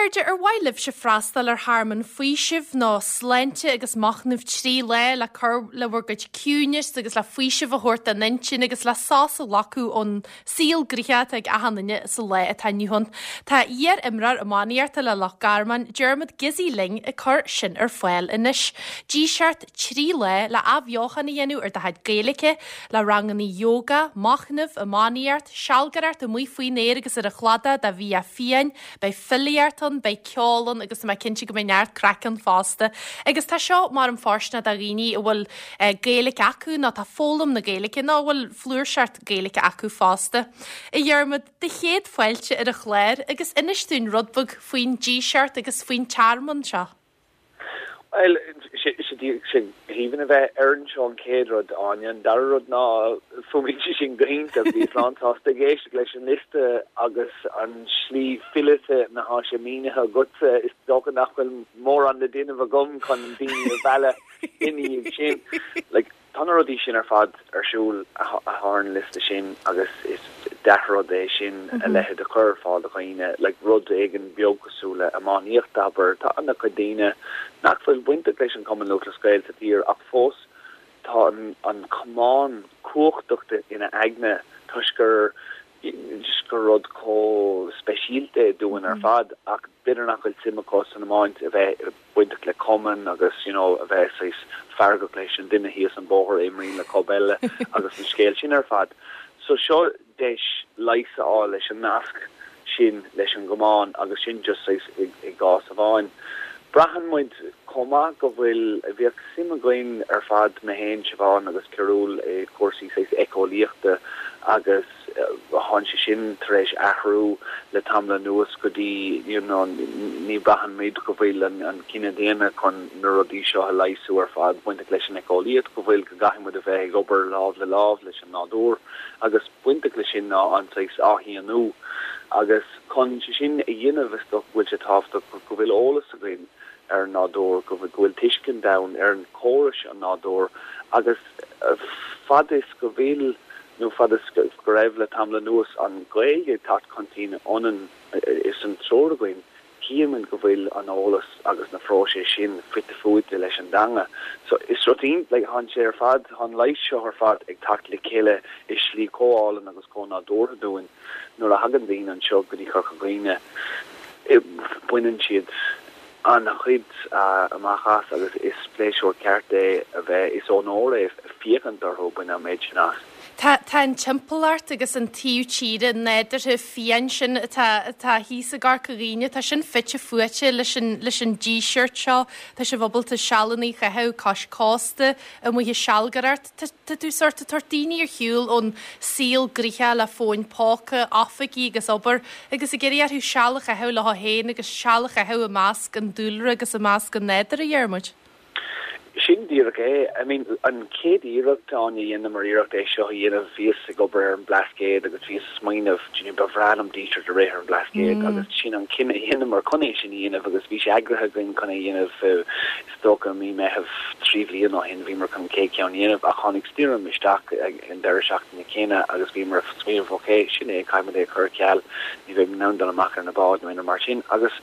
chairde, ar mhaith libhse freastal ar thearmann faoisimh nó sláinte agus machnaimh 3 lá le cur le bhur gcuid ciúinis agus le faoiseamh a thabhairt don intinn agus le sos a ghlacadh ón saol gnoitheach atá ag achan duine sa lá atá inniu ann? Tá iar-imreoir iománaíochta le Loch Garman, Diarmuid Gizzy linn ag cur sin ar fáil anois. Díseart 3 lá le athbheochan a dhéanamh ar do chuid Gaeilge, le ranganna yoga, machnamh, iománaíocht, sealgaireacht amuigh faoin aer agus ar an chladach do bhia fiáin, beidh filíocht ann, beidh ceol ann agus tá mé cinnte go mbeidh neart craic ann fosta. Agus tá seo mar an fóirsteanach do dhaoine a bhfuil Gaeilge acu nó atá ag foghlaim na Gaeilge nó a bhfuil flúirseacht Gaeilge acu fosta. A Dhiarmuid, do chéad fáilte ar an chlár agus inis dúinn rud beag faoin díseart agus faoin tearmann seo. Bhuel, sé aoibhinn a bheith ar anseo an chéad rud, Áine. An dara rud ná, fuaimníonn sé sin go hiontach. Bhíos lánsásta ag éisteacht leis an liosta agus an slí fileata ina thá sé mínithe agatsa. Is dócha nach bhfuil mórán le déanamh agam chun daoine a mhealladh ina dhiaidh sin. Like. Tá na rudaí sin ar fad ar siúl atá ar an liosta sin agus is dea-rud é sin a leithéid a chur ar fáil do dhaoine, like rud éigin beag cosúil le iománaíocht, abair. Tá an-chuid daoine nach bhfuil bainteach leis an Chumann Lúthchleas Gael sa tír ach fós tá an camán cumhachtach ina aigne toisc gur just gur rud chomh speisialta é dúinn ar fad ach b'fhéidir nach bhfuil suim acu san iomáint a bheith bainteach le cumann agus you know a bheith saghas feargach leis an duine thíos an bóthar a imríonn le club eile agus an scéal sin ar fad. So seo deis leigheas a fháil leis an nasc sin leis an gcamán agus sin just saghas i gcás amháin. Braitheann muid chomh maith go bhfuil, bhíodh suim againn ar fad, mé féin, Siobhán agus Cearúl i cúrsaí saghas éiceolaíochta agus thánn sé sin tar éis athrú le tamall anuas go dtí you know ní braitheann muid go bhfuil an cine daonna chun na rudaí seo a leigheasú ar fad bainteach leis an éiceolaíocht, go bhfuil, go gcaithfidh muid a bheith ag obair lámh le lámh leis an nádúr agus bainteach leis sin ná an saghas athfhiánú agus chun sé sin a dhéanamh is dócha go bhfuil sé tábhachtach go bhfuil eolas againn ar an nádúr, go bhfuil tuiscint ann ar an chórais an nádúr agus fad is go bhfuil nó fad is go raibh le tamall anuas an Ghaeilge ag teacht chun cinn ionainn is an triúr againn Tchímid go bhfuil an eolas agus na phróiseas sin fite fuaite leis an dteanga. So is rud iontach, like, thánn sé ar fad, tá an leigheas seo ar fad ag teacht le chéile i slí chomh álainn agus chomh nádúrtha dúinn. Nuair a thagann daoine anseo go dtí Corca Dhuibhne, baineann siad an-chuid amach as agus is pléisiúr ceart é a bheith, is onóir é féachaint orthu ag baint an méid sin as. Tá, tá an timpeallacht agus an taobh tíre nádúrtha fiáin sin atá, atá thíos i gCorca Dhuibhne, tá sin fite fuaite leis an, leis an díseart seo. Tá sibh ábalta sealanna a chaitheamh cois cósta, amuigh ag sealgaireacht. Tá, tá tú sórt ag tabhairt daoine ar shiúl ón saol gnoitheach le fóin póca, oifigí agus obair agus ag iarraidh orthu seal a chaitheamh leo féin agus seal a chaitheamh i measc an dúlra agus i measc an nádúir, a Dhiarmuid. Sin díreach é. I mean, an chéad iarracht, Áine, a dheineamar iarracht é seo a dhéanamh, bhíos ag obair ar an mBlascaod agus bhíos ag smaoineamh, do you know, ba bhreá liom díseart a rith ar an mBlascaod agus sin an cinneadh a dheineamar chun é sin a dhéanamh agus bhí sé eagraithe againn chun é a dhéanamh is dócha mí Meitheamh 3 bhliain ó shin, bhíomar chun an chéad cheann a dhéanamh ach tháinig stoirm isteach ag an deireadh seachtaine céanna agus bhíomar ag smaoineamh ok, sin é, caithfidh muid é a chur ar ceal, ní bheidh muid in ann dul amach ar na báid nó aon rud mar sin agus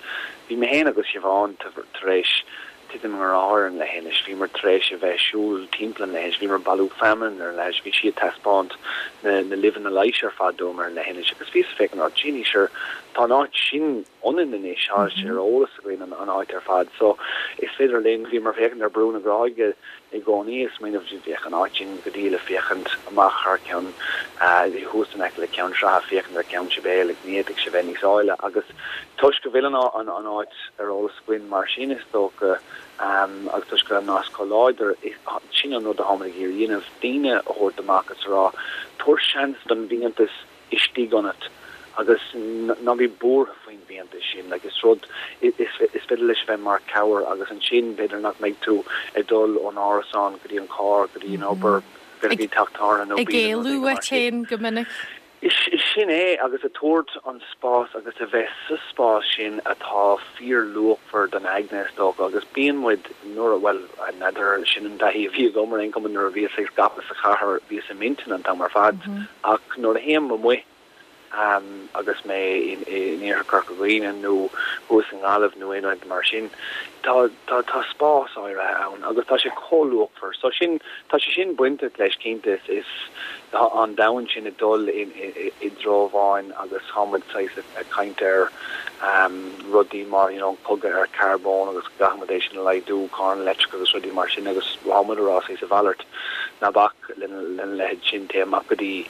bhí mé féin agus Siobhán tar éis titim i ngrá ar an leithinis. Bhíomar tar éis a bheith ag siúl timpeall an leithinis, bhíomar ag bailiú feamainn ar an leithinis, bhí sí ag taispeáint na na luibheanna leighis ar fad dom ar an leithinis agus bhíos ag féachaint, oh Jeannie, sure, tá an áit sin ionainn anois, tá sé ar eolas againn an an áit ar fad so is féidir linn, bhíomar ag féachaint ar Brú na Gráige i gcónaí ag smaoineamh bheadh an áit sin go diail ag féachaint amach thar ceann, thuas in aice le Ceann Sratha, féachaint ar Ceann Sibéal, like ní fhéadfadh sé bheith níos áille agus toisc go bhfuil an an áit ar eolas againn mar sin is dócha agus toisc go bhfuil an nasc chomh láidir, sin an rud atáimid ag iarraidh a dhéanamh, daoine a thabhairt amach agus a rá tabhair seans don bhfiántas istigh ionat agus ná bí buartha faoin bhfiántas sin, like is rud, is féidir leis a bheith mar chabhair agus ansin b'fhéidir nach mbeidh tú ag dul ón árasán go dtí an carr go dtí an obair, go dtí teach tábhairne nó Ag éalú uait féin go minic. Is sin é, agus ag tabhairt an spás agus a bheith sa spás sin atá fíorluachmhar don aigne, is dócha, agus bíonn muid nuair a, bhuel, n'fheadar, sin an taithí a bhí agam ar aon chuma nuair a bhíos ag scaipeadh sa chathair, bhíos i m'intinn an t-am ar fad, ach nuair a théim amuigh. Agus mé in iarthar Chorca Dhuibhne nó thuas i nGaillimh nó aon áit mar sin, tá, tá, tá spás áirithe ann agus tá sé chomh luachmhar. So sin, tá sé sin bainteach leis cinnte, is, is, tá an domhan sin ag dul i, i, i dtreo amháin agus tá muid saghas ag caint ar rudaí mar, you know, an cogadh ar charbón agus go gcaithfidh muid é sin a laghdú, carranna leictreacha agus rudaí mar sin agus tá muid ag rá saghas a mhalairt, ná bac lena, lena leithéid sin, téigh amach go dtí.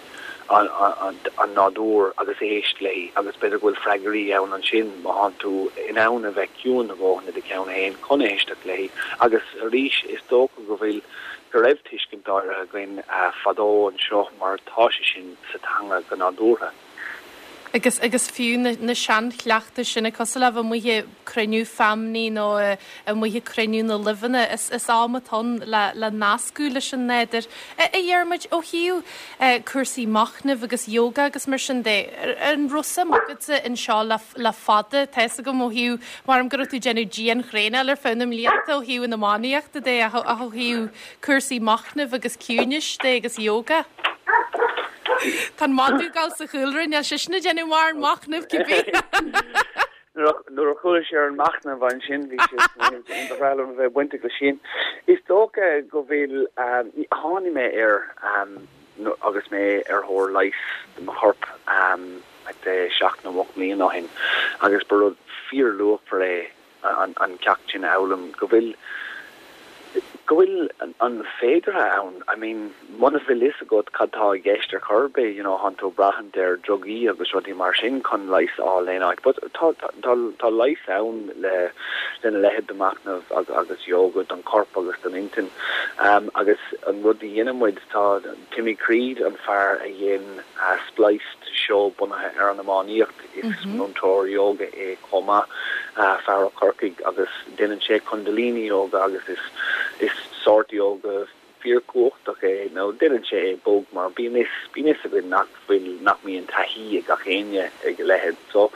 an nádúr agus éist léi agus b'fhéidir go bhfuil freagraí ann ansin má thánn tú in ann a bheith ciúin a dhóthain i do cheann féin chun éisteacht léi agus arís is dócha go bhfuil go raibh tuiscint áirithe againn fadó anseo mar tá sé sin sa teanga go nádúrtha. Agus agus fiú na na seanchleachtais sin cosúil le bheith amuigh ag cruinniú feamnaí nó amuigh ag cruinniú na luibheanna, is is am atá ann le le nascadh leis an nádúr. A Dhiarmuid, ó thaobh cúrsaí machnaimh agus yoga agus mar sin de, an raibh suim agatsa anseo le le fada? Tá fhios agam ó thaobh, maram go raibh tú ag déanamh dianthraenáil ar feadh na mblianta ó thaobh an iománaíochta de ach ó thaobh cúrsaí machnaimh agus ciúinis de agus yoga. Tá an madadh ag gabháil sa chúlra, níl seisean ag déanamh mórán machnaimh cibé. Nuair a chuala sé ar an machnamh ansin bhí sé ba bhreá liom a bheith bainteach leis sin. Is dócha go bhfuil, tháinig mé air agus mé ar thóir leighis do mo chorp 7 nó 8 mbliana ó shin agus ba rud fíorluachmhar é an ceacht sin a fhoghlaim, go bhfuil, go bhfuil an féideartha ann, I mean muna bhfuil fhios agat cad tá i gceist ar chor ar bith, you know, thánn tú ag braithint ar drugaí agus rudaí mar sin chun leigheas a fháil aon áit, but tá, tá, tá leigheas ann le, lena leithéid de machnamh agus yoga don chorp agus don intinn. Agus an rud a dhéanann muid, tá Timmy Creed, an fear a dhein Spliced, seó bunaithe ar an iománaíocht, Is múinteoir ióga é chomh maith, fear ó Chorcaigh, agus déanann sé Kundalini Yoga agus is is sórt ióga fíorchumhachtach é, nó déanann sé é bog mar bíonn fhios bíonn fhios againn nach bhfuil nach mbíonn taithí ag gach éinne ag a leithéid. So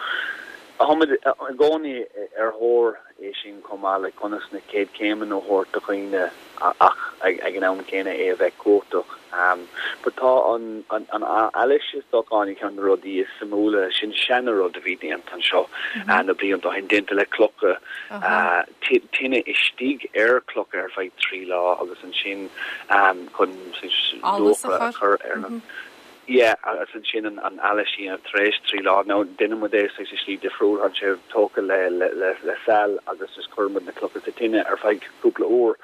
táimid i gcónaí ar thóir é sin chomh maith le conas na chéad chéimeanna a thabhairt do dhaoine ach ag an am céanna é a bheith cumhachtach. But tá an allas is dócha Áine ceann de na rudaí is suimiúla, sin seana-rud a bhí déanta anseo na blianta ó shin, déanta le clocha, tine istigh ar chlocha ar feadh 3 lá agus ansin chun luachra a chur ar na. Yeah, agus ansin an allas a dhéanamh tar éis 3 lá. Now, déanann muid é saghas i slí difriúil, tá sé tógtha le le le saill agus just cuireann muid na clocha sa tine ar feadh cúpla uair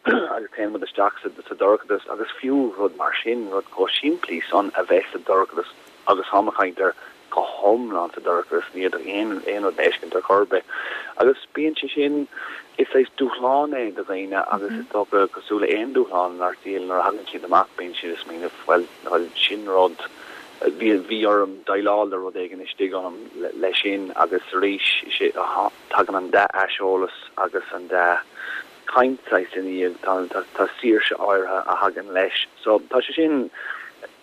agus téann muid isteach sa sa dorchadas agus fiú rud mar sin, rud chomh simplí san a bheith sa dorchadas agus táim ag caint ar go hiomlán sa dorchadas, ní fhéadfadh aon aon rud a fheiscint ar chor ar bith. Agus bíonn sé sin, is saghas dúshlán é do dhaoine agus is dócha, cosúil le aon dúshlán inár saol, nuair a thagann siad amach bíonn siad ag smaoineamh, bhuel, bhuel, sin rud, bhí, bhí orm déileáil le rud éigin istigh ionam leis sin agus arís, tagann an dea-aiseolas agus an dea chaint saghas ina dhiaidh, tá, tá, tá saoirse áirithe a thagann leis. So tá sé sin,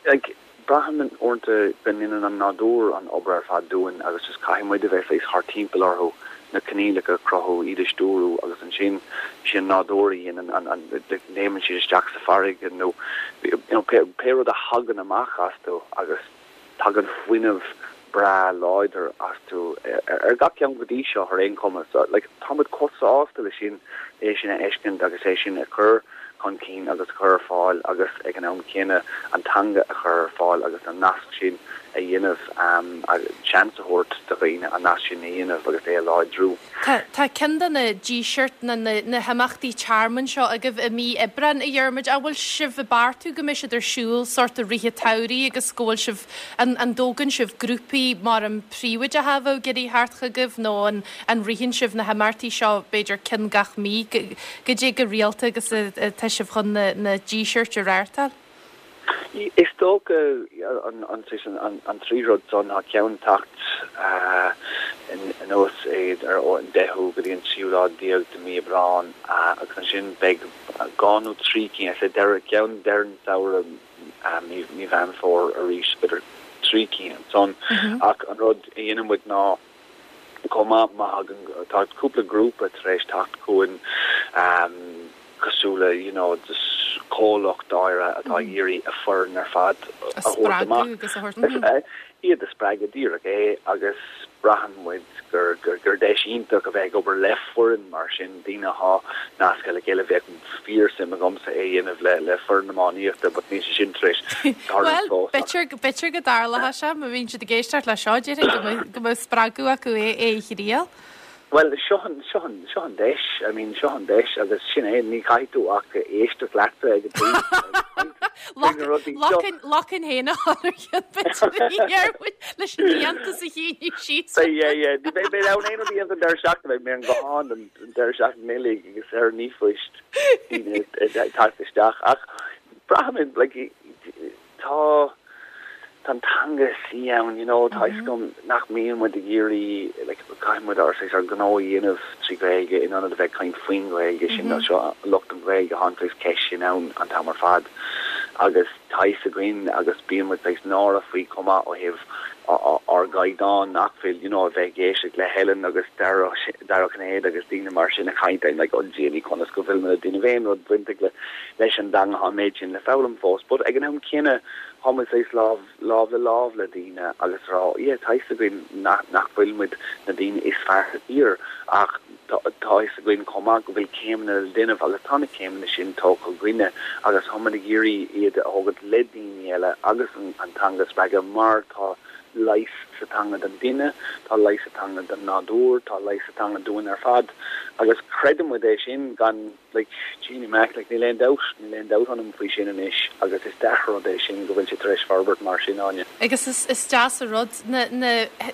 like, Braithim uaireanta go ndéanann an nádúr an obair ar fad dúinn agus just caithfidh muid a bheith saghas thart timpeall orthu, na coinníollacha a chruthú, iad a stiúrú agus ansin is é an nádúr a dhéanann an, léimeann siad isteach sa bhfarraige nó you know pé pé rud a thagann amach astu agus tagann fuinneamh breá láidir astu ar gach ceann go dtí seo ar aon chuma. So like tá muid chomh sásta leis sin, é sin a fheiscint agus é sin a chur chun cinn agus a chur ar fáil agus ag an am céanna an teanga a chur ar fáil agus an nasc sin a dhéanamh, seans a thabhairt do dhaoine an nasc sin a dhéanamh agus é a láidriú. Tá ceann de na dísirt, na na himeachtaí tearmainn seo agaibh i mí Aibreáin, a Dhiarmuid. An bhfuil sibh ag beartú go mbeidh siad ar siúl sórt i rith an tsamhraidh agus go bhfuil sibh, an an dtógann sibh grúpaí mar an príobháideacha a bheadh ag iarraidh theacht chugaibh nó an an ritheann sibh na himeachtaí seo b'fhéidir ceann gach mí? Goidé chomh rialta agus atá sibh chun na dísirt a reáchtáil? Is dócha an trí rud san, tá ceann ag teacht anuas ar an 10ú go dtí an tríú lá déag de mí Aibreán agus ansin beidh dhá nó trí cinn, is é deireadh, ceann deireadh an tsamhraidh, mí Mheán Fómhair arís, b'fhéidir trí cinn ansan. Ach an rud a dhéanann muid ná, chomh maith, má thagann, tá cúpla grúpa tar éis teacht chugainn cosúil le you know just comhlacht áirithe atá ag iarraidh a foireann ar fad a thabhairt amach. iad a spreagadh díreach é agus braitheann muid gur gur deis iontach a bheith ag obair le foireann mar sin, daoine athá nasctha le chéile. Bheadh fíor-suim agamsa é a dhéanamh le le foireann iománaíochta but níl sé sin tar éis tarlú fós ach. Bhuel, b'fhéidir go dtarlóidh sé má bhíonn siad ag éisteacht le seo, déarfainn go mbeadh go mbeadh spreagadh acu é é a thriail. Bhuel, seo an, seo an, seo an deis, I mean, seo an deis agus sin é, ní chaithfidh tú ach éisteacht leatsa ag an tús agus caint faoi na rudaí seo. Lochán féin a chur ar cheann b'fhéidir leis an fhiántas a shíneadh síos. Beidh, yeah, yeah. Ní bheidh mé in ann aon rud a dhéanamh an deireadh seachtaine, beidh mé ar an ghuthán an deireadh seachtaine uilig agus ar an ríomhphost, daoine ag teacht isteach ach braithim, like, Tá, tá an teanga suí ann, you know, tá a fhios agam nach mbíonn muid ag iarraidh, like, caithfidh muid ár saghas ár ngnó a dhéanamh trí Ghaeilge in ionad a bheith ag caint faoin Ghaeilge, sin nó seo lucht an Ghaeilge, tá an saghas ceist sin ann an t-am ar fad agus tá a fhios againn agus bíonn muid saghas náireach faoi chomh maith ó thaobh ár gcaighdeán nach bhfuil, you know, a bheith ag éisteacht le Helen agus Dara Ó Cinnéide agus daoine mar sin ag caint, I'm like, oh Dia, conas go bhfuil muid ag déanamh aon rud bainteach le leis an dteanga, tá an méid sin le foghlaim fós. But ag an am céanna, tá muid saghas lámh, lámh le lámh le daoine agus rá, yeah, tá fhios againn nach, nach bhfuil muid na daoine is fearr sa tír ach tá, tá fhios againn chomh maith go bhfuil céimeanna le déanamh agus tá na céimeanna sin tógtha againne agus tá muid ag iarraidh iad a thógaint le daoine eile agus an, an teanga a spreagadh mar tá leigheas sa teanga don duine, tá leigheas sa teanga don nádúr, tá leigheas sa teanga dúinn ar fad agus creideann muid é sin gan Like, Jeannie Mac, like, níl aon dabht, níl aon dabht ionam faoi sin anois agus is dea-rud é sin go bhfuil sé tar éis forbairt mar sin, Áine. Agus is, is deas an rud, na, na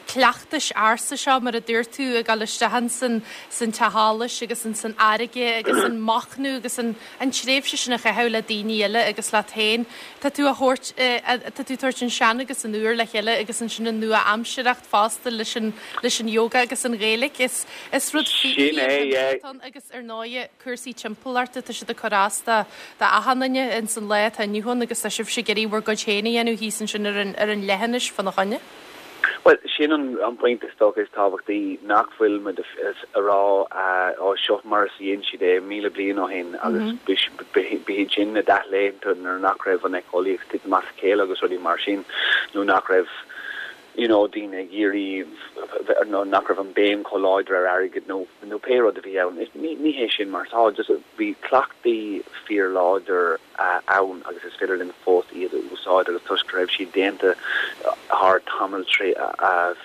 cleachtais ársa seo, mar a dúirt tú, ag dul isteach ins an, san teach allais agus ins an fharraige agus an machnamh agus an, an tréimhse sin a chaitheamh le daoine eile agus leat féin. Tá tú a thabhairt, tá tú ag tabhairt an sean agus an úr le chéile agus ansin an nua-aimsireacht fosta leis an, leis an yoga agus an Ghaeilge. Is, is rud Sin é, yeah. fíor-shuimiúil atá ann agus ar ndóighe cúrsaí timpeallachta, tá siad ag cur as do, do achan duine ins an lá atá inniu ann agus tá sibhse ag iarraidh bhur gcuid féin a dhéanamh thíos ansin ar an, ar an leithinis fána choinne. Bhuel, sin an pointe is dócha is tábhachtaí, nach bhfuil muid a rá ó seo mar is a dhein siad é 1,000 bliain ó shin agus b'iad sin na dea-laethanta nuair nach raibh an éiceolaíocht ag titim as a chéile agus rudaí mar sin nó nach raibh you know daoine ag iarraidh nó nach raibh an béim chomh láidir ar airgead nó nó pé rud a bhí ann. Ní hé sin mar atá, just bhí cleachtaí fíorláidir ann agus is féidir linn fós iad a úsáid agus toisc go raibh siad déanta thar tamall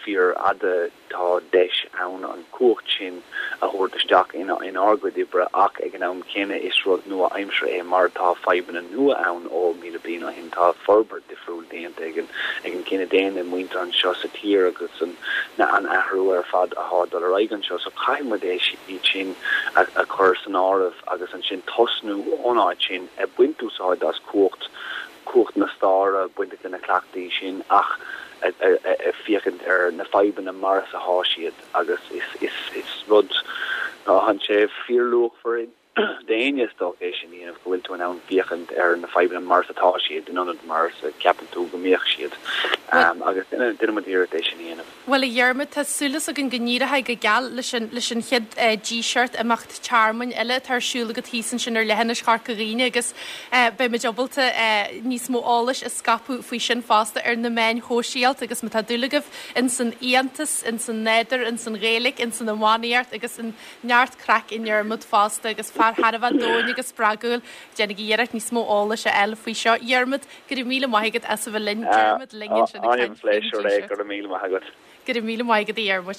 fíorfhada tá deis ann an cumhacht sin a thabhairt isteach inár gcuid oibre ach ag an am céanna is rud nua-aimseartha é mar tá fadhbanna nua ann ó 1,000 bliain ó shin, tá forbairt difriúil déanta ag an ag an gcine daonna, muintir anseo sa tír agus an an athrú ar fad athá ag dul ar aghaidh anseo so caithfidh muid é iad sin a a chur san áireamh agus ansin tosnú ón áit sin ag baint úsáid as cumhacht cumhacht na staire bainteach le na cleachtaí sin ach ag féachaint ar na fadhbanna mar is athá siad agus is is is rud atá sé fíorluachmhar d'éinne is dócha é sin a dhéanamh, go bhfuil tú in ann féachaint ar na fadhbanna mar is atá siad, in ionad mar is a cheapann tú go mbeadh siad. Agus déanann muid iarracht é sin a dhéanamh. Bhuel, a Dhiarmaid, tá súil againn go n-éireoidh go geal leis an, leis an chéad Díseart, imeacht tearmainn eile atá ar siúl agat thíos ansin ar leithinis Chorca Dhuibhne agus beidh muid ábalta níos mó eolais a scaipeadh faoi sin fosta ar na meáin shóisialta agus má tá dúil agaibh ins an fhiántas, ins an nádúr, ins an Ghaeilge, ins an iománaíocht agus in Neart craic i nDiarmuid fosta agus fear thar a bheith domhain agus spreagúil. Déanaigí iarracht níos mó eolais a fháil faoi seo. Diarmuid, go raibh míle maith agat as a bheith linn. Diarmuid linn ansin ag caint faoin Díseart. Go raibh míle maith agat. Go raibh míle maith agat a Dhiarmuid.